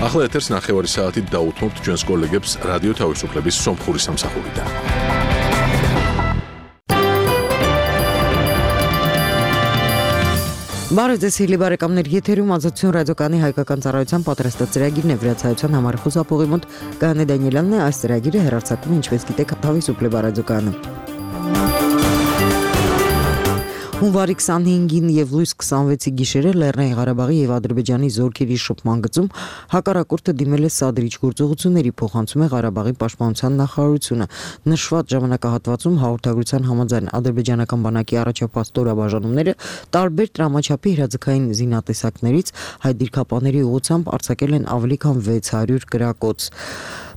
ახლა ეთერს ნახევარი საათით დაუთმობთ ჩვენს კოლეგებს რადიო თავისუფლების სომხური სამსახურიდან. Բարեձեզ բարեկամներ, եթերում ազատություն ռադիոկայանի հայկական ծառայության պատրաստած ծրագիրն է, վրացայության համար խուսափողի մոտ Գայանե Դանիելյանն է, այս ծրագիրը հեռարձակվում է, ինչպես գիտեք, Თავისუფლება ռադիոկայանում։ Հունվարի 25-ին եւ լույս 26-ի գիշերը Լեռնային Ղարաբաղի եւ Ադրբեջանի զորքերի շփման գծում հակառակորդը դիմել է սադրիչ գործողությունների, փոխանցում է Ղարաբաղի պաշտպանության նախարարությունը։ Նշված ժամանակահատվածում հաղորդագրության համաձայն ադրբեջանական բանակի առաջապահ ստորաբաժանումները տարբեր տրամաչափի հրաձգային զինատեսակներից հայ դիրքապաների ուղղությամբ արձակել են ավելի քան 600 կրակոց։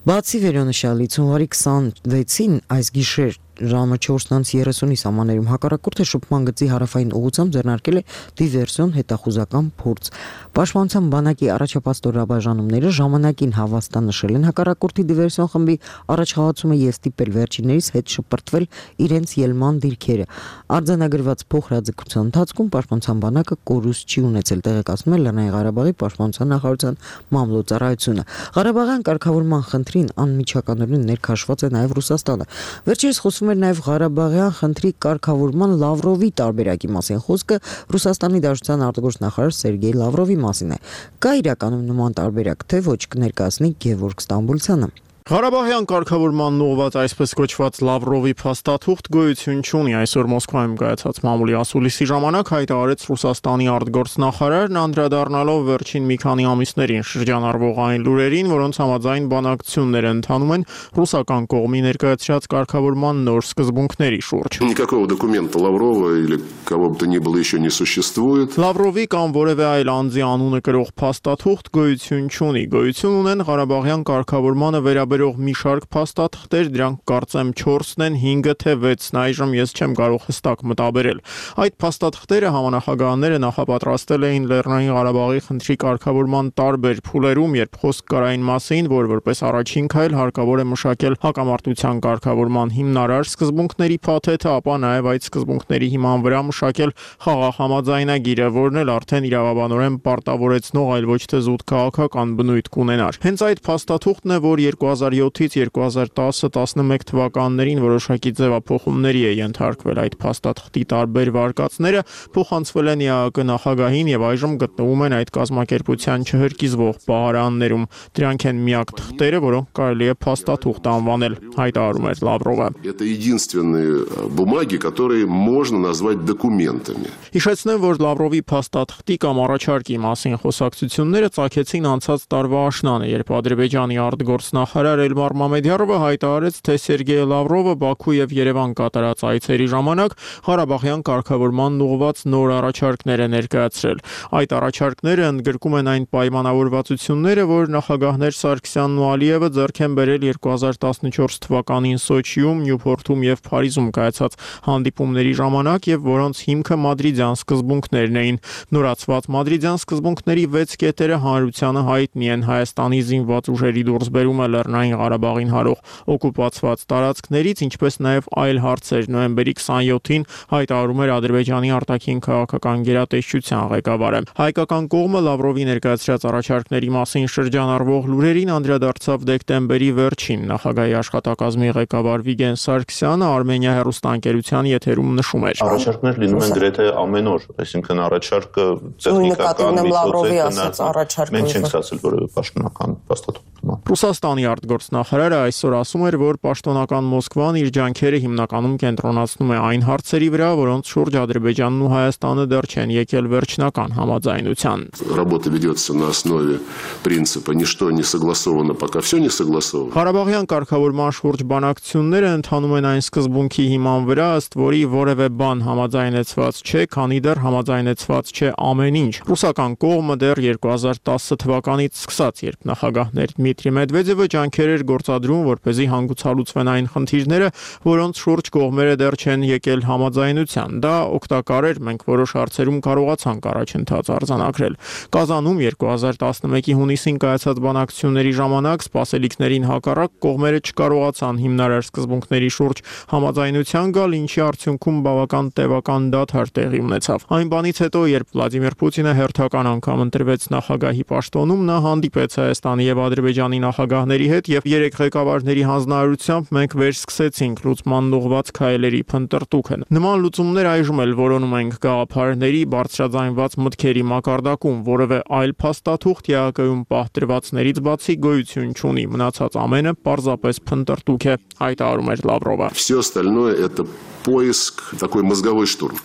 Բացի վերոնշյալից հունվարի 26-ին այս գիշեր ժամը 4:30-ի սահմաններում հակառակորդը շփման գծի հարավային ուղղությամբ ձեռնարկել է դիվերսիոն հետախուզական փորձ։ Պաշտպանության բանակի առաջապահ ստորաբաժանումները ժամանակին հավաստանշել են հակառակորդի դիվերսիոն խմբի առաջխաղացումը եւ ստիպել վերջիններից հետ շպրտվել իրենց ելման դիրքերը։ Արձանագրված փոխհրաձգության ընթացքում պաշտպանության բանակը կորուստ չի ունեցել, տեղեկացնում է Լեռնային Ղարաբաղի պաշտպանության նախարարության մամլոյցարայությունը։ Ղարաբաղյան կարգավորման խնդրին անմիջականորեն ներքաշված է նաեւ Ռուսաստանը։ Վերջերս խոսվում էր նաև Ղարաբաղյան խնդրի կարգավորման Լավրովի տարբերակի մասին։ Խոսքը Ռուսաստանի Դաշնության արտգործնախարար Սերգեյ Լավրովի մասին է։ Կա իրականում նման տարբերակ, թե ոչ, կներկայացնի Գևորգ Ստամբուլցյանը։ Ղարաբաղյան կարգավորման ուղղված այսպես կոչված Լավրովի փաստաթուղթ գոյություն չունի։ Այսօր Մոսկվայում կայացած մամուլի ասուլիսի ժամանակ հայտարարեց Ռուսաստանի արտգործնախարարն, անդրադառնալով վերջին մի քանի ամիսներին շրջանառվող այն լուրերին, որոնց համաձայն բանակցությունները ընթանում են ռուսական կողմի ներկայացրած կարգավորման նոր սկզբունքների շուրջ։ Никакого документа Лаврова или кого бы то ни было еще не существует. Լավրովի կամ որևէ այլ անձի անունը կրող փաստաթուղթ գոյություն չունի։ Գոյություն ունեն Ղարաբաղյան կարգավորմանը վերաբերող մի շարք փաստաթղթեր, դրանք կարծեմ 4-ն են, 5-ը թե 6-ն, այժմ ես չեմ կարող հստակ մտաբերել։ Այդ փաստաթղթերը համանախագահները նախապատրաստել էին Լեռնային Ղարաբաղի խնդրի կարգավորման տարբեր փուլերում, երբ խոսք կար այն մասին, որ որպես առաջին քայլ հարկավոր է մշակել հակամարտության կարգավորման հիմնարար սկզբունքների փաթեթը, ապա նաև այդ սկզբունքների հիման վրա մշակել խաղաղ համաձայնագիրը, որն էլ արդեն իրավաբանորեն պարտավորեցնող, այլ ոչ թե զուտ քաղաքական բնույթ կունենար։ Հենց այդ փաստաթուղթն է, որ 2007-ից 2010-11 թվականներին որոշակի ձևափոխումների է ենթարկվել։ Այդ փաստաթղթի տարբեր վարկածները փոխանցվել են ԵԱԿ նախագահին եւ այժմ գտնվում են այդ կազմակերպության չհրկիզվող պահարաններում։ Դրանք են միակ թղթերը, որոնք կարելի է փաստաթուղթ անվանել, հայտարարում է Լավրովը։ Это единственные бумаги, которые можно назвать документами. Հիշեցնեմ, որ Լավրովի փաստաթղթի կամ առաջարկի մասին խոսակցությունները ծագեցին անցած տարվա աշնանը, երբ Ադրբեջանի արտգործնախարար Էլմար Մամեդյարովը հայտարարեց, թե Սերգեյ Լավրովը Բաքու եւ Երևան կատարած այցերի ժամանակ Ղարաբաղյան կարգավորման ուղղված նոր առաջարկներ է ներկայացրել։ Այդ առաջարկները ընդգրկում են այն պայմանավորվածությունները, որ նախագահներ Սարգսյանն ու Ալիևը ձեռք են բերել 2014 թվականին Սոչիում, Նյուփորթում եւ Փարիզում կայացած հանդիպումների ժամանակ եւ որոնց հիմքը մադրիդյան սկզբունքներն էին։ Նորացված մադրիդյան սկզբունքների 6 կետերը հանրությանը հայտնի են։ Հայաստանի զինված ուժերի դուրսբերումը Լեռնային Ղարաբաղին հարող օկուպացված տարածքներից, ինչպես նաև այլ հարցեր։ Նոյեմբերի 27-ին հայտարարում էր Ադրբեջանի արտաքին քաղաքական գերատեսչության ղեկավարը։ Հայկական կողմը Լավրովի ներկայացրած առաջարկների մասին շրջանառվող լուրերին անդրադարձավ դեկտեմբերի վերջին։ Նախագահի աշխատակազմի ղեկավար Վիգեն Սարգսյանը Արմենիա հեռուստաընկերության եթերում նշում էր. Առաջարկներ լինում են գրեթե ամեն օր, այսինքն առաջարկը տեխնիկական միջոց է, մենք չենք ստացել որևէ պաշտոնական փաստաթուղթ։ Ռուսաստանի արտգործնախարարը այսօր ասում էր, որ պաշտոնական Մոսկվան իր ջանքերը հիմնականում կենտրոնացնում է այն հարցերի վրա, որոնց շուրջ Ադրբեջանն ու Հայաստանը դեռ չեն եկել վերջնական համաձայնության։ Работа ведется на основе принципа ничто не согласовано, пока все не согласовано. Ղարաբաղյան կարգավորման շուրջ բանակցությունները ընթանում են այն սկզբունքի հիման վրա, ըստ որի որևէ բան համաձայնեցված չէ, քանի դեռ համաձայնեցված չէ ամեն ինչ։ Ռուսական կողմը դեռ 2010 թվականից սկսած, երբ նախագահներ Դմիտրի Դմիտրի Մեդվեդևը ջանքեր էր գործադրում, որպեսզի հանգուցալուծվեն այն խնդիրները, որոնց շուրջ կողմերը դեռ չեն եկել համաձայնության։ Դա օգտակար էր, մենք որոշ հարցերում կարողացանք առաջընթաց արձանագրել։ Կազանում 2011-ի հունիսին կայացած բանակցությունների ժամանակ սպասելիքներին հակառակ կողմերը չկարողացան հիմնարար սկզբունքների շուրջ համաձայնության գալ, ինչի արդյունքում բավական տևական դադար տեղի ունեցավ։ Այն բանից հետո, երբ Վլադիմիր Պուտինը հերթական անգամ ընտրվեց նախագահի պաշտոնում, նա հանդիպեց Հայաստանի եւ Ադրբեջանի նախագահների հետ եւ երեք ղեկավարների հանձնարարությամբ մենք վերսկսեցինք լուծման ուղղված քայլերի փնտրտուքը։ Նման լուծումներ այժմ էլ որոնում ենք գաղափարների, բարձրաձայնված մտքերի մակարդակում, որևէ այլ փաստաթուղթ ԵԱԿ-ում պահտրվածներից բացի գոյություն չունի, մնացած ամենը պարզապես փնտրտուք է, հայտարարում էր Լավրովը։ Все остальное это поиск, такой мозговой штурм.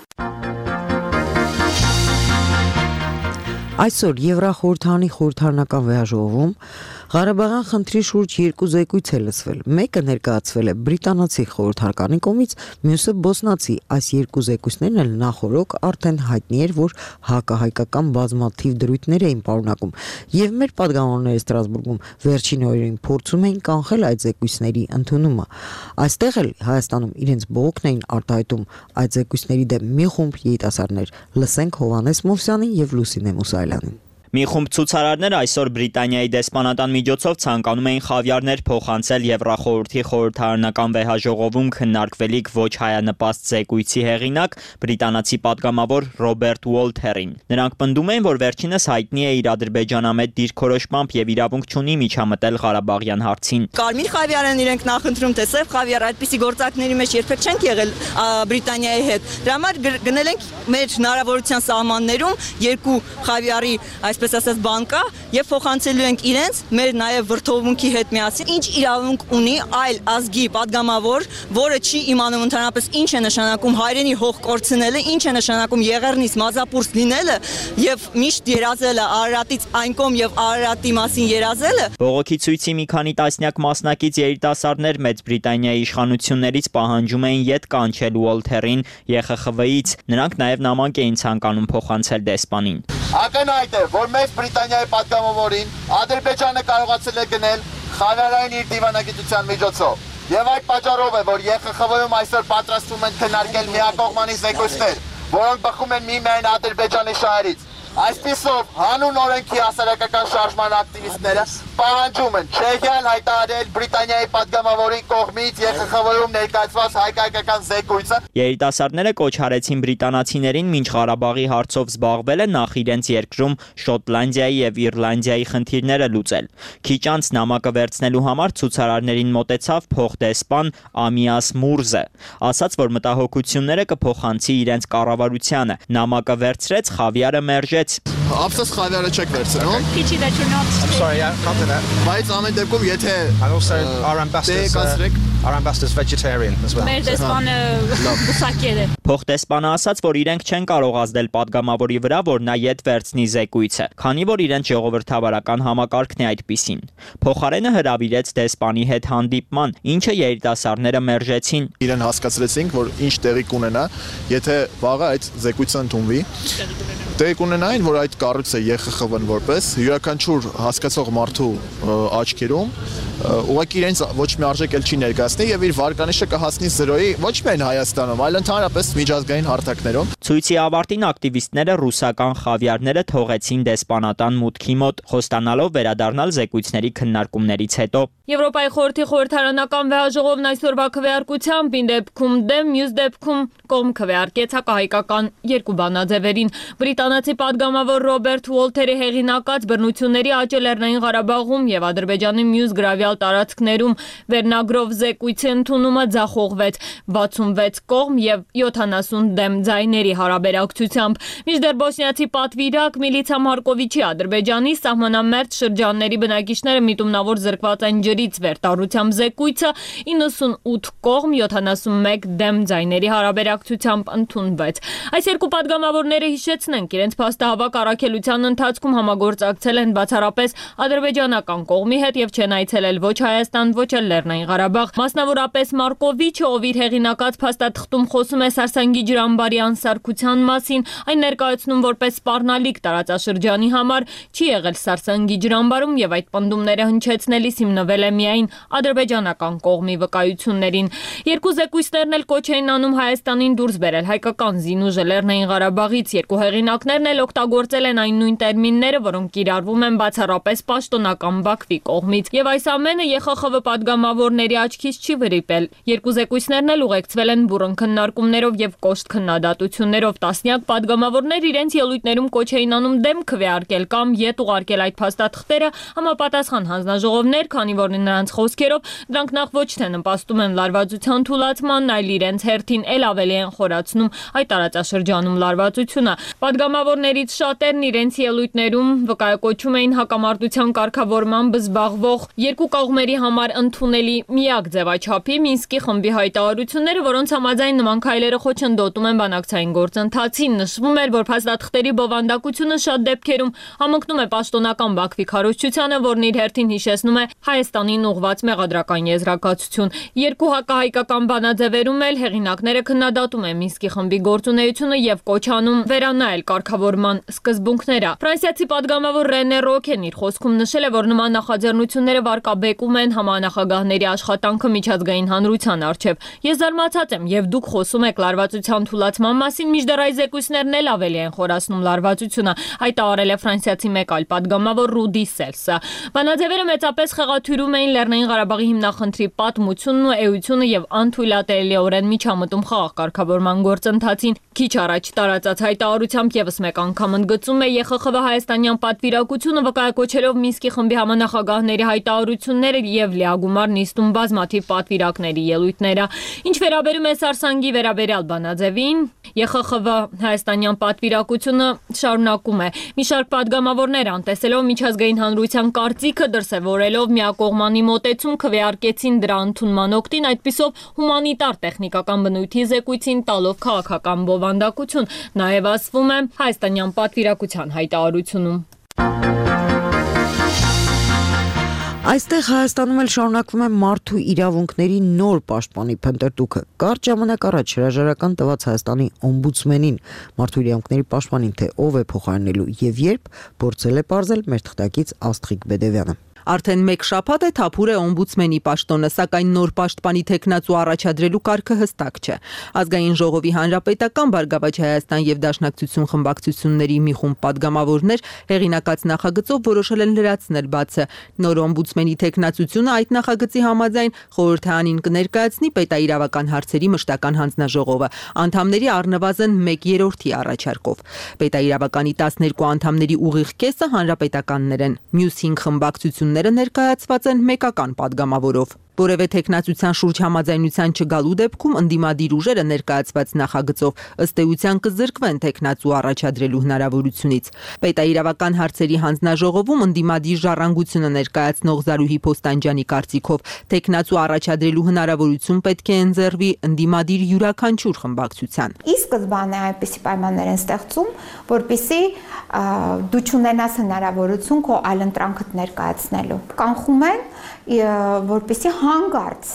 Այսօր Եվրախորհրդանի խորհրդարանական վեհաժողովում Ղարաբաղյան խնդրի շուրջ երկու զեկույց է լսվել։ Մեկը ներկայացվել է բրիտանացի խորհրդարանի կողմից, մյուսը բոսնացի։ Այս երկու զեկույցներն էլ նախորոք արդեն հայտնի էր, որ հակահայկական բազմաթիվ դրույթներ էին պարունակում, եւ մեր պատգամավորները Ստրասբուրգում վերջին օրերին փորձում էին կանխել այդ զեկույցների ընդունումը։ Այստեղ էլ Հայաստանում իրենց բողոքն էին արտահայտում այդ զեկույցների դեմ մի խումբ երիտասարդներ։ Լսենք Հովհաննես Մովսյանին եւ Լուսինե Մուսայելյանին։ Մի խումբ ցուցարարներ այսօր Բրիտանիայի դեսպանատան միջոցով ցանկանում էին խավիարներ փոխանցել Եվրախորհրդի խորհրդարանական վեհաժողովում քննարկվելիք ոչ հայանպաստ զեկույցի հեղինակ բրիտանացի պատգամավոր Ռոբերտ Ուոլթերին։ Նրանք պնդում էին, որ վերջինս հայտնի է իր ադրբեջանամետ դիրքորոշմամբ եւ իրավունք չունի միջամտել Ղարաբաղյան հարցին։ Կարմիր խավիարն իրենք նախընտրում, թե սև խավիար, այդպիսի գործակների մեջ երբեք չենք եղել Բրիտանիայի հետ։ Դրա համար գնել ենք մեր հնարավորության սահմաններում երկու խավիարի այսպես ասած բանկա եւ փոխանցելու ենք իրենց մեր նաեւ վրթովմունքի հետ միասին ինչ իրավունք ունի այլ ազգի падգամավոր, որը չի իմանում ընդհանրապես ինչ է նշանակում հայրենի հող կորցնելը, ինչ է նշանակում Եղեռնից մազապուրս լինելը եւ միշտ երազելը Արարատից այն կողմ եւ Արարատի մասին երազելը։ Բողոքի ցույցի մի քանի տասնյակ մասնակից երիտասարդներ Մեծ Բրիտանիայի իշխանություններից պահանջում էին յետ կանչել Ուոլթերին ԵԽԽՎ-ից։ Նրանք նաեւ նամակ էին ցանկանում փոխանցել դեսպանին։ Ակնհայտ է, որ Մեծ Բրիտանիայի պատգամավորին Ադրբեջանը կարողացել է գնել խավիարային իր դիվանագիտության միջոցով։ Եվ այդ պատճառով է, որ ԵԽԽՎ-ում այսօր պատրաստվում են քննարկել միակողմանի զեկույցներ, որոնք բխում են միմիայն Ադրբեջանի շահերից։ Այսպիսով հանուն օրենքի հասարակական շարժման ակտիվիստները պահանջում են Չեխիան հայտարարել Բրիտանիայի падգամավորի կողմից ԵԽԽՎ-ում ներկայացված հայկական զեկույցը։ Երիտասարդները կոչ արեցին բրիտանացիներին մինչ Ղարաբաղի հարցով զբաղվելը նախ իրենց երկրում Շոտլանդիայի եւ Իռլանդիայի խնդիրները լուծել։ Քիչ անց նամակը վերցնելու համար ցուցարարներին մոտեցավ փոխդեսպան Ամիաս Մուրզը, ասաց, որ մտահոգությունները կփոխանցի իրենց կառավարությանը։ Նամակը վերցրեց, խավիարը մերժեց։ Ապսես խավիարը չեք վերցնում։ Pity that you're not. I'm sorry, yeah, can't do that. Բայց ամեն դեպքում եթե And also our ambassador's vegetarian as well. Մեր դեսպանը բուսակեր է։ Փոխդեսպանը ասաց, որ իրենք չեն կարող ազդել падգամավորի վրա, որ նա յետ վերցնի զեկույցը, քանի որ իրենց ժողովրդավարական համակարգն է այդպիսին։ Փոխարենը հրավիրեց դեսպանի հետ հանդիպման, ինչը երիտասարդները մերժեցին։ իրեն հասկացրեցինք, որ ինչ տեղի կունենա, եթե վաղը այդ զեկույցը ընդունվի։ Տեղի կունենային, որ այդ կառույցը ԵԽԽՎ-ն որպես յուրաքանչյուր հասկացող մարդու աչքերում ուղղակի իրենց ոչ մի արժեք էլ չի ներկայացնի եւ իր վարկանիշը կհասնի 0-ի ոչ միայն Հայաստանում, այլ ընդհանրապես միջազգային հարթակներում։ Ցույցի ավարտին ակտիվիստները ռուսական խավիարները թողեցին դեսպանատան մուտքի մոտ, խոստանալով վերադառնալ զեկույցների քննարկումներից հետո։ Եվրոպայի խորհրդի խորհրդարանական վեհաժողովն այսօրվա քվեարկությամբ ին դեպքում դեմ, մյուս դեպքում կողմ քվեարկեց հակահայկական երկու բանաձևերին։ Բրիտանացի падգամավոր Ռոբերտ Ուոլթերի հեղինակած բռնությունների աճը Լեռնային Ղարաբաղում եւ Ադրբեջանի մյուս գրավյալ տարածքներում վերնագրով զեկույցի ընդունումը ձախողվեց 66 կողմ եւ 70 դեմ ձայների հարաբերակցությամբ։ Մինչդեռ բոսնիացի պատվիրակ Միլիցա Մարկովիչի Ադրբեջանի սահմանամերձ շրջանների բնակիչները միտումնավոր զրկված են ջրից վերտառությամբ զեկույցը 98 կողմ 71 դեմ ձայների հարաբերակցությամբ ընդունվեց։ Այս երկու падգամավորները հիշեցնենք իրենց փաստահավաք առաքելության ընթացքում համագործակցել են բացառապես ադրբեջանական կողմի հետ եւ չեն այցելել էլ ոչ Հայաստան, ոչ էլ Լեռնային Ղարաբաղ։ Մասնավորապես Մարկովիչը, ով իր հեղինակած փաստաթղթում խոսում է Սարսանգի ջրամբարի անսարքության մասին, այն ներկայացնում որպես սպառնալիք տարածաշրջանի համար, չի եղել Սարսանգի ջրամբարում եւ այդ պնդումները հնչեցնելիս հիմնվել է միայն ադրբեջանական կողմի վկայություններին։ Երկու զեկույցներն էլ կոչ էին անում Հայաստանին դուրս բերել հայկական զինուժը Լեռնային Ղարաբաղից։ Երկու հեղինակներն էլ օգտագործել են այն նույն տերմինները, որոնք կիրառվում են բացառապես պաշտոնական Բաքվի կողմից։ Եվ այս ամենը ԵԽԽՎ падգամավորների աչքից չի վրիպել։ Երկու զեկույցներն էլ ուղեկցվել են բուռն քննարկումներով եւ կոշտ քննադատություններով։ Տասնյակ падգամավորներ իրենց ելույթներում կոչ էին անում դեմ քվեարկել կամ ետ ուղարկել այդ փաստաթղթերը համապատասխան հանձնաժողովներ, քանի որ նրանց խոսքերով դրանք նախ ոչ թե նպաստում են լարվածության թուլացման, այլ իրենց հերթին ել ավելի են խորացնում այդ տարածաշրջանում լարվածությունը։ Падգամավորներից շատերն իրենց ելույթներում վկայակոչում էին հակամարտության կարգավորմամբ զբաղվող երկու կողմերի համար ընդունելի միակ ձևաչափի Մինսկի խմբի հայտարարությունները, որոնց համաձայն նման քայլերը խոչընդոտում են բանակցային գործընթացին։ Նշվում էր, որ փաստաթղթերի բովանդակությունը շատ դեպքերում համընկնում է պաշտոնական Բաքվի քարոզչությանը, որն իր հերթին հիշեցնում է Հայաստանին ուղղված մեղադրական եզրակացություն։ Երկու հակահայկական բանաձևերում էլ հեղինակները քննադատում են Մինսկի խմբի գործունեությունը եւ կոչ անում վերանայել կարգավորման սկզբունքները։ Ֆրանսիացի падգամավոր Ռենե Ռոքեն իր խոսքում նշել է, որ նման նախաձեռնությունները վարկաբեկում են համանախագահների աշխատանքը միջազգային հանրության առջև։ Ես զարմացած եմ, եւ դուք խոսում եք լարվածության թուլացման մասին, մինչդեռ այս զեկույցներն էլ ավելի են խորացնում լարվածությունը, հայտարարել է ֆրանսիացի մեկ այլ падգամավոր Ռուդի Սելսը։ Բանաձևերը մեծապես խեղաթյուրում էին Լեռնային Ղարաբաղի հիմնախնդրի պատմությունն ու էությունը եւ անթույլատրելիորեն միջամտում խաղաղ կարգավորման գործընթացին։ Քիչ առաջ տարածած հայտարարությամբ եւս մեկ անգամ ընդգծում է ԵԽԽՎ հայաստանյան պատվիրակությունը, վկայակոչելով Մինսկի խմբի համանախագահների հայտարարությունները եւ լիագումար նիստում բազմաթիվ պատվիրակների ելույթները։ Ինչ վերաբերում է Սարսանգի վերաբերյալ բանաձևին, ԵԽԽՎ հայաստանյան պատվիրակությունը շարունակում է մի շարք падգամավորներ անտեսելով միջազգային հանրության կարծիքը, դրսևորելով միակողմանի մոտեցում, քվեարկեցին դրա ընդունման օգտին, այդպիսով հումանիտար տեխնիկական բնույթի զեկույցին տալով քաղաքական բովանդակություն, նաև ասվում է հայաստանյան պատվիրակության հայտարարությունում։ Այստեղ Հայաստանում էլ շարունակվում է մարդու իրավունքների նոր պաշտպանի փնտրտուքը։ Կարճ ժամանակ առաջ հրաժարական տված Հայաստանի օմբուդսմենին մարդու իրավունքների պաշտպանին, թե ով է փոխարինելու եւ երբ, փորձել է պարզել մեր թղթակից Աստղիկ Բեդևյանը։ Արդեն մեկ շաբաթ է թափուր է օմբուդսմենի պաշտոնը, սակայն նոր պաշտպանի թեկնածու առաջադրելու կարգը հստակ չէ։ Ազգային ժողովի Հանրապետական Բարգավաճ Հայաստան եւ Դաշնակցություն խմբակցությունների մի խումբ падգամավորներ հեղինակած նախագծով որոշել են լրացնել բացը։ Նոր օմբուդսմենի թեկնածությունը այդ նախագծի համաձայն խորհրդարանին կներկայացնի պետաիրավական հարցերի մշտական հանձնաժողովը անդամների առնվազն 1/3-ի առաջարկով։ Պետաիրավականի 12 անդամների ուղիղ կեսը հանրապետականներ են։ Մյուս 5 խմբակցություններ ներկայացված են մեկական падգամավորով։ Որևէ տեխնացության շուրջ համաձայնության չգալու դեպքում ընդդիմադիր ուժերը ներկայացված նախագծով ըստ էության կզրկվեն տեխնացու առաջադրելու հնարավորությունից։ Պետաիրավական հարցերի հանձնաժողովում ընդդիմադիր ժառանգությունը ներկայացնող Զարուհի Փոստանջյանի կարծիքով տեխնացու առաջադրելու հնարավորություն պետք է ընձեռվի ընդդիմադիր յուրաքանչյուր խմբակցության։ Ի սկզբանե այնպիսի պայմաններ են ստեղծում, որպեսզի դու չունենաս հնարավորություն քո այլընտրանքդ ներկայացնելու։ Կանխում են, որպեսզի հանգարց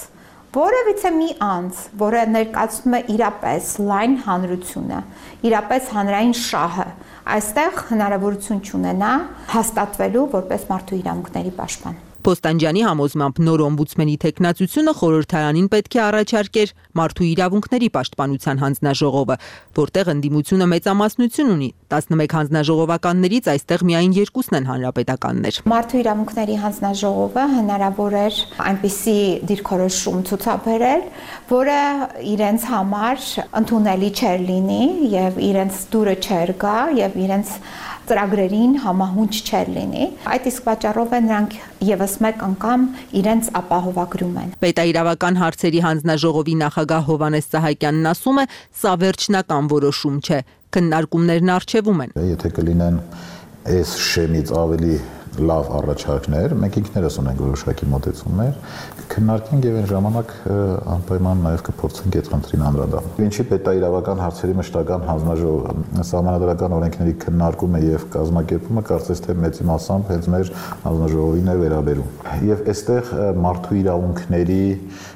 որևիցե մի անձ, որը ներկայացնում է իրապես լայն հանրությունը, իրապես հանրային շահը, այստեղ հնարավորություն չունենա հաստատվելու որպես մարդու իրավունքների պաշտպան։ Փոստանջյանի համոզմամբ նոր օմբուդսմենի տեխնացությունը խորհրդարանին պետք է առաջարկեր մարդու իրավունքների պաշտպանության հանձնաժողովը, որտեղ ընդդիմությունը մեծամասնություն ունի։ 11 հանձնաժողովականներից այստեղ միայն 2-ն են հանրապետականներ։ Մարդու իրավունքների հանձնաժողովը հնարավոր էր այնպիսի դիրքորոշում ցուցաբերել, որը իրենց համար ընդունելի չէր լինի եւ իրենց դուրը չէր գա եւ իրենց ծրագրերին համահունչ չէր լինի։ Այդ իսկ պատճառով է նրանք եւս մեկ անգամ իրենց ապահովագրում են։ Պետաիրավական հարցերի հանձնաժողովի նախագահ Հովհաննես Սահակյանն ասում է, սա վերջնական որոշում չէ, քննարկումներն առջևում են։ Եթե կլինեն այս շեմից ավելի լավ առաջարկներ, մենք ինքներս ունենք որոշակի մոտեցումներ, քննարկենք եւ այն ժամանակ անպայման նաեւ կփորձենք այդ խնդրին անդրադառնալ։ Ինչի պետաիրավական հարցերի մշտական հանձնաժողովը սահմանադրական օրենքների քննարկումը եւ կազմակերպումը կարծես թե մեծի մասամբ հենց մեր հանձնաժողովին է վերաբերում։ Եվ այստեղ մարդու իրավունքների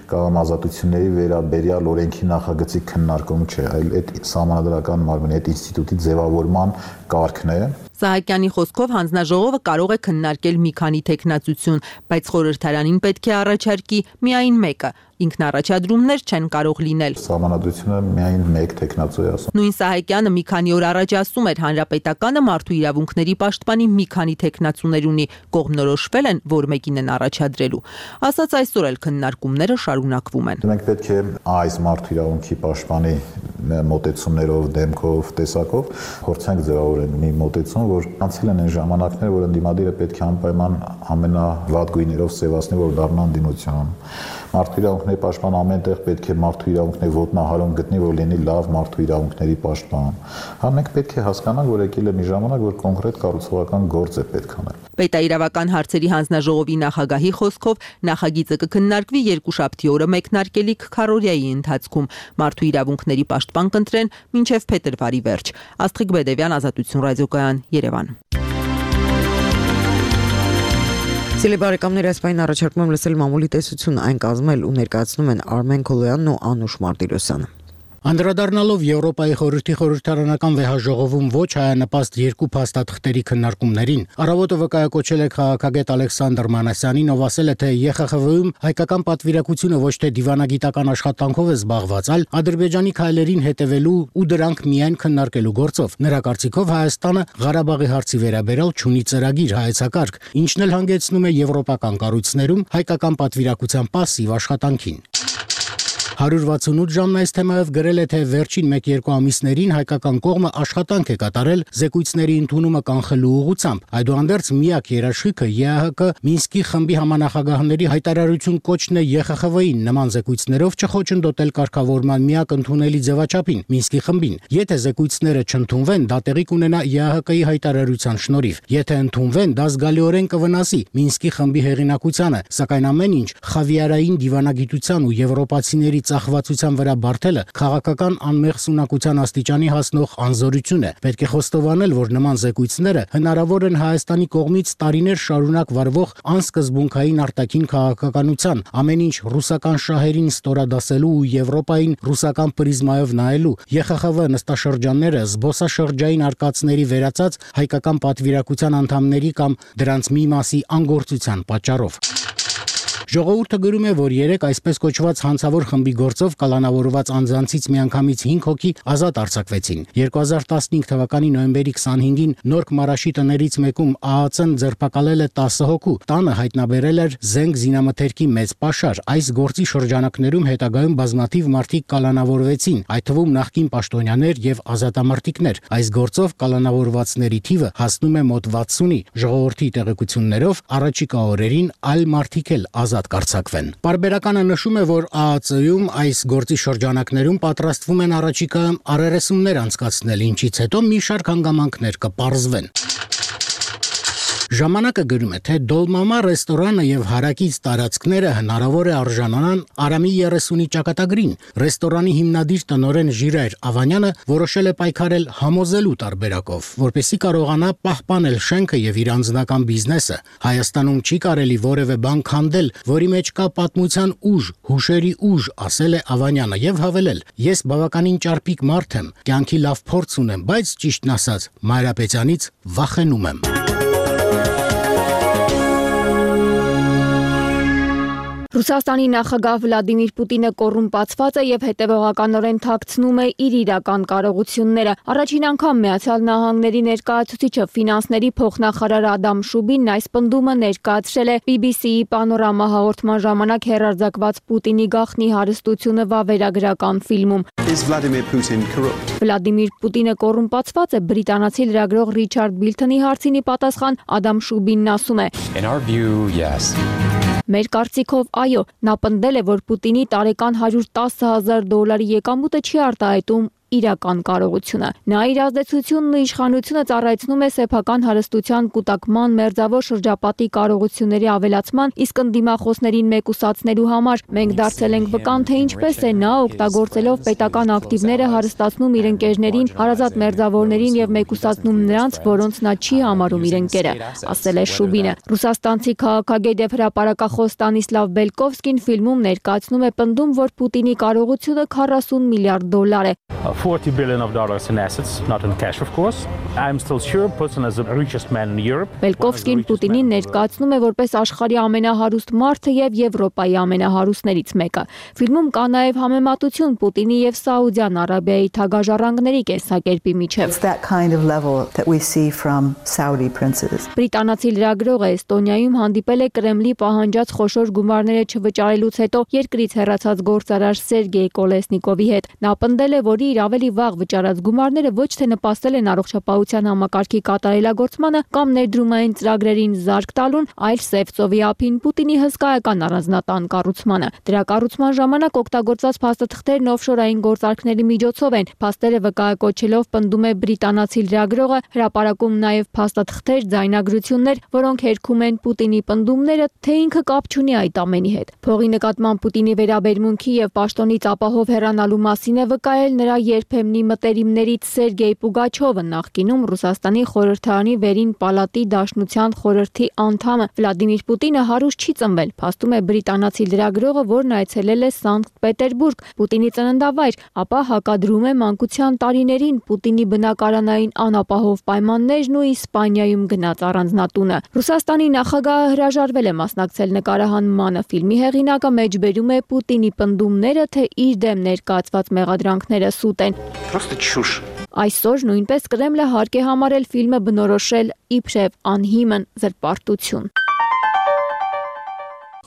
կամ ազատությունների վերաբերյալ օրենքի նախագծի քննարկում չէ, այլ այդ սահմանադրական մարմնի այդ ինստիտուտի ձևավորման կարգն է։ Սահակյանի խոսքով հանձնաժողովը կարող է քննարկել մի քանի թեկնածություն, բայց խորհրդարանին պետք է առաջարկի միայն մեկը։ Ինքնառաջադրումներ չեն կարող լինել։ Սահմանադրությունը միայն մեկ թեկնածու է ասում։ Նույն Սահակյանը մի քանի օր առաջ ասում էր, հանրապետականը մարդու իրավունքների պաշտպանի մի քանի թեկնածուներ ունի, կողմնորոշվել են, որ մեկին են առաջադրելու։ Ասած այսօր էլ քննարկումները շարունակվում են։ Մենք պետք է այս մարդու իրավունքի պաշտպանի մոտեցումներով, դեմքով, տեսակով փորձենք ձևավորել մի մոտեցում, որ անցել են այն ժամանակները, որ ընդդիմադիրը պետք է անպայման ամենավատ գույներով սևացնի, որ դառնա ընդդիմություն։ Մարդու իրավունքների պաշտպան ամենտեղ պետք է մարդու իրավունքների ոտնահարում գտնի, որ լինի լավ մարդու իրավունքների պաշտպան։ Հա մենք պետք է հասկանանք, որ եկել է մի ժամանակ, որ կոնկրետ կառուցողական գործ է պետք անել։ Պետաիրավական հարցերի հանձնաժողովի նախագահի խոսքով նախագիծը կքննարկվի երկուշաբթի օրը մեկնարկելիք քառօրյայի ընթացքում։ Մարդու իրավունքների պաշտպան կընտրեն մինչև փետրվարի վերջ։ Աստղիկ Բեդևյան, Ազատություն ռադիոկայան, Երևան։ Սիրելի բարեկամներ, այս պայն առաջարկում եմ լսել մամուլի տեսություն, այն կազմել ու ներկայացնում են Արմեն Քոլոյանն ու Անուշ Մարտիրոսյանը։ Անդրադառնալով Եվրոպայի խորհրդի խորհրդարանական վեհաժողովում ոչ հայանպաստ երկու փաստաթղթերի քննարկումներին, Առավոտը վկայակոչել է քաղաքագետ Ալեքսանդր Մանասյանին, ով ասել է, թե ԵԽԽՎ-ում հայկական պատվիրակությունը ոչ թե դիվանագիտական աշխատանքով է զբաղված, այլ Ադրբեջանի քայլերին հետևելու ու դրանք միայն քննարկելու գործով։ Նրա կարծիքով Հայաստանը Ղարաբաղի հարցի վերաբերյալ չունի ծրագիր, հայեցակարգ, ինչն էլ հանգեցնում է եվրոպական կառույցներում հայկական պատվիրակության պասիվ աշխատանքին։ 168 ժամն այս թեմայով գրել է, թե վերջին 1-2 ամիսներին հայկական կողմը աշխատանք է կատարել զեկույցների ընդունումը կանխելու ուղղությամբ։ Այդուհանդերձ միակ երաշխիքը ԵԱՀԿ Մինսկի խմբի համանախագահների հայտարարություն կոչն է ԵԽԽՎ-ին նման զեկույցներով չխոչընդոտել կարգավորման միակ ընդունելի ձևաչափին Մինսկի խմբին։ Եթե զեկույցները չընդունվեն, դա տեղի կունենա ԵԱՀԿ-ի հայտարարության շնորհիվ։ Եթե ընդունվեն, դա զգալիորեն կվնասի Մինսկի խմբի հեղինակությանը, սակայն ամեն ինչ խավիարային դիվանագիտության ու եվրոպացիների ծախվածության վրա բարթելը քաղաքական անմեղ սունակության աստիճանի հասնող անզորություն է։ Պետք է խոստովանել, որ նման զեկույցները հնարավոր են Հայաստանի կողմից տարիներ շարունակ վարվող անսկզբունքային արտաքին քաղաքականության, ամեն ինչ ռուսական շահերին ստորադասելու ու Եվրոպային ռուսական պրիզմայով նայելու, ԵԽԽՎ նստաշրջանները զբոսաշրջային արկածների վերածած հայկական պատվիրակության անդամների կամ դրանց մի մասի անգործության պատճառով։ Ժողովուրդը գրում է, որ երեք այսպես կոչված հանցավոր խմբի գործով կալանավորված անձանցից միանգամից 5 հոգի ազատ արձակվեցին։ 2015 թվականի նոյեմբերի 25-ին Նորք Մարաշի տներից մեկում ԱԱՑ-ն ձերբակալել է 10 հոգու։ Տանը հայտնաբերել էր զենք զինամթերքի մեծ պաշար։ Այս գործի շրջանակներում հետագայում բազմաթիվ մարդիկ կալանավորվեցին, այդ թվում նախկին պաշտոնյաներ եւ ազատամարտիկներ։ Այս գործով կալանավորվածների թիվը հասնում է մոտ 60-ի։ Ժողովրդի տեղեկություններով առաջիկա օրերին այլ մարդիկ էլ ազատ կարձակվեն։ Պարբերականը նշում է, որ ԱԱՑ-ում այս գործի շրջանակներում պատրաստվում են առաջիկայում առերեսումներ անցկացնել, ինչից հետո մի շարք հանգամանքներ կպարզվեն։ Ժամանակը գրում է, թե Դոլմամա ռեստորանը եւ հարակից տարածքները հնարավոր է արժանանան Արամի 30-ի ճակատագրին։ Ռեստորանի հիմնադիր տնօրեն Ժիրայր Ավանյանը որոշել է պայքարել համոզելու տարբերակով, որպեսզի կարողանա պահպանել շենքը եւ իր անձնական բիզնեսը։ Հայաստանում չի կարելի որևէ բան քանդել, որի մեջ կա պատմության ուժ, հուշերի ուժ, ասել է Ավանյանը եւ հավելել. Ես բավականին ճարպիկ մարդ եմ, կյանքի լավ փորձ ունեմ, բայց ճիշտն ասած, Մանրապետյանից վախենում եմ։ Ռուսաստանի նախագահ Վլադիմիր Պուտինը կոռումպացված է եւ հետեւողականորեն թաքցնում է իր իրական կարողությունները։ Առաջին անգամ Միացյալ Նահանգների ներկայացուցիչը ֆինանսների փոխնախարար Ադամ Շուբինն այս պնդումը ներկայացրել է BBC-ի Պանորամա հաղորդման ժամանակ հեռարձակված Պուտինի գաղտնի հարստությունը վավերագրական ֆիլմում։ Վլադիմիր Պուտինը կոռումպացված է, բրիտանացի լրագրող Ռիչարդ Բիլթոնի հարցին ի պատասխան Ադամ Շուբինն ասում է. Մեր կարծիքով այո, նա պնդել է, որ Պուտինի տարեկան $110,000 եկամուտը չի արտահայտում իրական կարողությունը։ Նա իր ազդեցությունն ու իշխանությունը ծառայեցնում է սեփական հարստության կուտակման մերձավոր շրջապատի կարողությունների ավելացման, իսկ ընդդիմախոսներին մեկուսացնելու համար։ Մենք դարձել ենք վկան, թե ինչպես է նա օգտագործելով պետական ակտիվները հարստացնում իր ընկերներին, հարազատ մերձավորներին եւ մեկուսացնում նրանց, որոնց նա չի համարում իր ընկերը, ասել է Շուբինը։ Ռուսաստանցի քաղաքագետ եւ հրապարակախոս Ստանիսլավ Բելկովսկին ֆիլմում ներկայացնում է պնդում, որ Պուտինի կարողությունը $40 միլիարդ է։ $40 billion in assets, not in cash, of course. I'm still sure Putin is the richest man in Europe. Բելկովսկին Պուտինին ներկայացնում է որպես աշխարհի ամենահարուստ մարդը եւ Եվրոպայի ամենահարուստներից մեկը։ Ֆիլմում կա նաեւ համեմատություն Պուտինի եւ Սաուդյան Արաբիայի թագաժառանգների կենսակերպի միջև։ Բրիտանացի լրագրողը Էստոնիայում հանդիպել է Կրեմլի պահանջած խոշոր գումարները չվճարելուց հետո երկրից հեռացած գործարար Սերգեյ Կոլեսնիկովի հետ։ Նա պնդել է, որ իր ավելի վաղ վճարած գումարները ոչ թե նպաստել են առողջապահության համակարգի կատարելագործմանը կամ ներդրումային ծրագրերին զարկ տալուն, այլ Սևծովի ափին Պուտինի հսկայական առանձնատան կառուցմանը։ Դրա կառուցման ժամանակ օգտագործված փաստաթղթերն օֆշորային գործարքների միջոցով են։ Փաստերը վկայակոչելով պնդում է բրիտանացի լրագրողը, հրապարակում նաև փաստաթղթեր, ձայնագրություններ, որոնք հերքում են Պուտինի պնդումները, թե ինքը կապ չունի այդ ամենի հետ։ Փողի նկատմամբ Պուտինի վերաբերմունքի եւ պաշտոնից ապահով հեռանալու մասին է վկայել նրա երբեմնի մտերիմներից Սերգեյ Պուգաչովը, նախկինում Ռուսաստանի խորհրդարանի վերին պալատի դաշնության խորհրդի անդամը։ Վլադիմիր Պուտինը հարուստ չի ծնվել, փաստում է բրիտանացի լրագրողը, որն այցելել է Սանկտ Պետերբուրգ, Պուտինի ծննդավայր, ապա հակադրում է մանկության տարիներին Պուտինի բնակարանային անապահով պայմաններն ու Իսպանիայում գնաց առանձնատունը։ Ռուսաստանի նախագահը հրաժարվել է մասնակցել նկարահանմանը։ Ֆիլմի հեղինակը մեջբերում է Պուտինի պնդումները, թե իր դեմ ներկայացված մեղադրանքները սուտ են։ Այսօր նույնպես Կրեմլը հարկ է համարել ֆիլմը բնորոշել իբրև անհիմն զրպարտություն։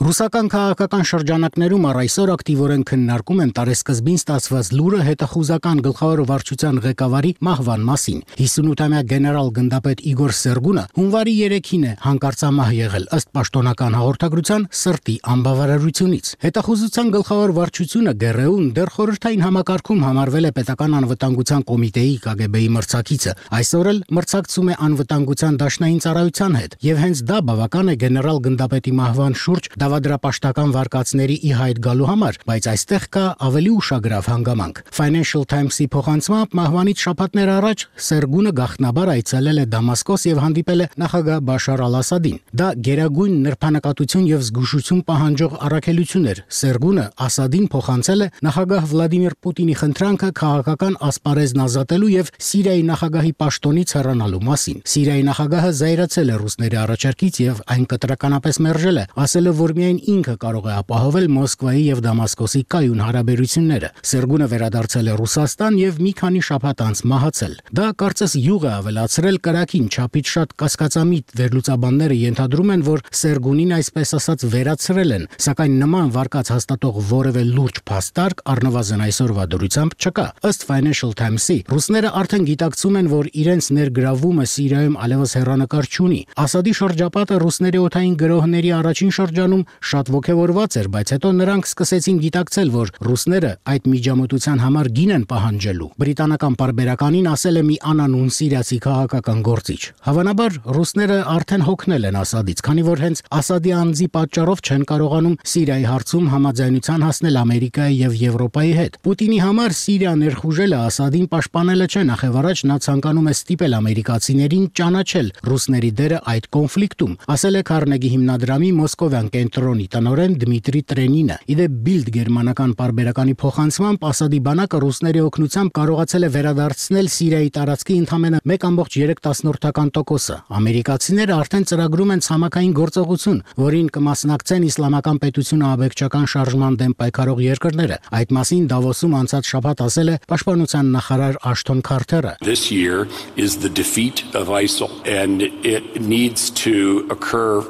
Ռուսական քաղաքական շրջանակներում առ այսօր ակտիվորեն քննարկում են տարեսկզբին ստացված լուրը հետախուզական գլխավոր վարչության ղեկավարի մահվան մասին։ 58-ամյա գեներալ գնդապետ Իգոր Սերգունը հունվարի 3-ին է հանկարծամահ եղել ըստ պաշտոնական հաղորդագրության սրտի անբավարարությունից։ Հետախուզության գլխավոր վարչությունը ԳՌՈ-ն դեռ խորհրդային համակարգում համարվել է պետական անվտանգության կոմիտեի ԿԳԲ-ի մրցակիցը։ Այսօր էլ մրցակցում է անվտանգության դաշնային ծառայության հետ, եւ հենց դա բավական է գեներալ գնդապետի մահվան շուրջ դավադրապաշտական վարկածների ի հայտ գալու համար, բայց այստեղ կա ավելի ուշագրավ հանգամանք։ Financial Times-ի փոխանցմամբ մահվանից շաբաթներ առաջ Սերգունը գաղտնաբար այցելել է Դամասկոս եւ հանդիպել է նախագահ Բաշար Ալ-Ասադին։ Դա գերագույն նրբանակատություն եւ զգուշություն պահանջող առաքելություն էր։ Սերգունը Ասադին փոխանցել է նախագահ Վլադիմիր Պուտինի խնդրանքը քաղաքական ասպարեզն ազատելու եւ Սիրիայի նախագահի պաշտոնից հեռանալու մասին։ Սիրիայի նախագահը զայրացել է ռուսների առաջարկից եւ այն կտրականապես մերժել է, ասելով, որ միայն ինքը կարող է ապահովել Մոսկվայի եւ Դամասկոսի կայուն հարաբերությունները։ Սերգունը վերադարձել է Ռուսաստան եւ մի քանի շաբաթ անց մահացել։ Դա կարծես յուղ է ավելացրել կրակին չափից շատ կասկածամիտ վերլուծաբանները ենթադրում են, որ Սերգունին այսպես ասած վերացրել են, սակայն նման վարկած հաստատող որևէ լուրջ փաստարկ առնվազն այսօրվա դրությամբ չկա։ Ըստ Financial Times-ի, ռուսները արդեն գիտակցում են, որ իրենց ներգրավումը Սիրիայում այլևս հեռանկար չունի։ Ասադի շրջապատը ռուսների օդային գրոհների առաջին շրջանում շատ ոգևորված էր, բայց հետո նրանք սկսեցին գիտակցել, որ ռուսները այդ միջամտության համար գին են պահանջելու։ Բրիտանական պարբերականին ասել է մի անանուն սիրիացի քաղաքական գործիչ։ Հավանաբար ռուսները արդեն հոգնել են Ասադից, քանի որ հենց Ասադի անձի պատճառով չեն կարողանում Սիրիայի հարցում համաձայնության հասնել Ամերիկայի եւ Եվրոպայի հետ։ Պուտինի համար Սիրիա ներխուժելը Ասադին պաշտպանելը չէ, նախևառաջ նա ցանկանում է ստիպել ամերիկացիներին ճանաչել ռուսների դերը այդ կոնֆլիկտում, ասել է Քարնեգի հիմնադրամի Մոսկովյան կենտրոնի տնօրեն Դմիտրի Տրենինը։ Իդեպ Bild գերմանական պարբերականի փոխանցմամբ Ասադի բանակը ռուսների օգնությամբ կարողացել է վերադարձնել Սիրիայի տարածքի ընդամենը 1.3%։ Ամերիկացիները արդեն ծրագրում են ցամաքային գործողություն, որին կմասնակցեն իսլամական պետությունը աբեկչական շարժման դեմ պայքարող երկրները։ Այդ մասին Դավոսում անցած շաբաթ ասել է պաշտպանության նախարար Աշթոն Քարթերը։ This year is the defeat of ISIL and it needs to occur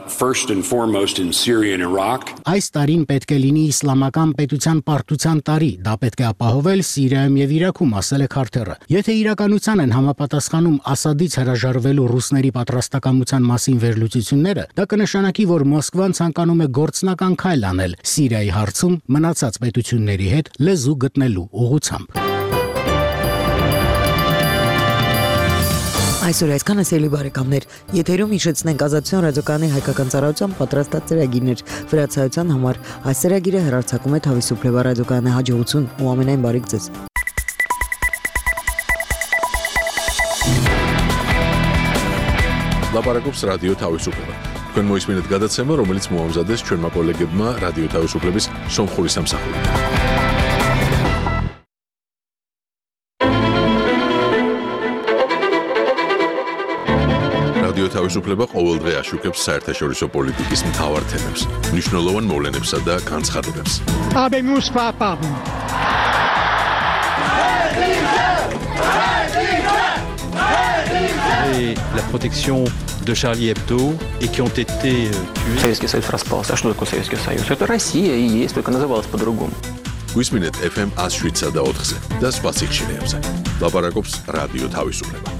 first and foremost in Syria and Iraq. Այս տարին պետք է լինի իսլամական պետության պարտության տարի, դա պետք է ապահովել Սիրիայում եւ Իրաքում, ասել է Քարթերը։ Եթե իրականության են համապատասխանում Ասադից հրաժարվելու ռուսների պատրաստակամության մասին վերլուծությունները, դա կնշանակի, որ Մոսկվան ցանկանում է գործնական քայլ անել Սիրիայի հարցում մնացած պետությունների հետ լեզու գտնելու ուղղությամբ։ Այսօր այսքանը սիրելի բարեկամներ, եթերում հիշեցնենք Ազատության ռադիոկայանի հայկական ծառայության պատրաստած ծրագիրներ վրացայության համար։ Այս ծրագիրը հեռարձակում է Թավի Սուպլեվա ռադիոկայանի հաջողություն ու ամենայն բարիք ձեզ։ Լապարակոպս ռադիո Թավի Սուպլեվա։ Քան մոյս մինետ գադացեմը, ռոմելից մուամզադես չորմա կոլեգեդմա ռադիո Թավի Սուպլեվիս Սոմխորիս ամսախորի։ Თავისუფლება ყოველდღე აშუქებს საერთაშორისო პოლიტიკის მთავარ თემებს, მნიშვნელოვან მოვლენებსა და განცხადებებს. La protection de Charlie Hebdo et qui ont été tués. Советский Союз распался. А что такое Советский Союз? Это Россия и есть, только называлась по-другому. Გვისმინეთ FM 107 და 4-ზე და სხვა სიხშირეებზე. ლაპარაკობს რადიო თავისუფლება.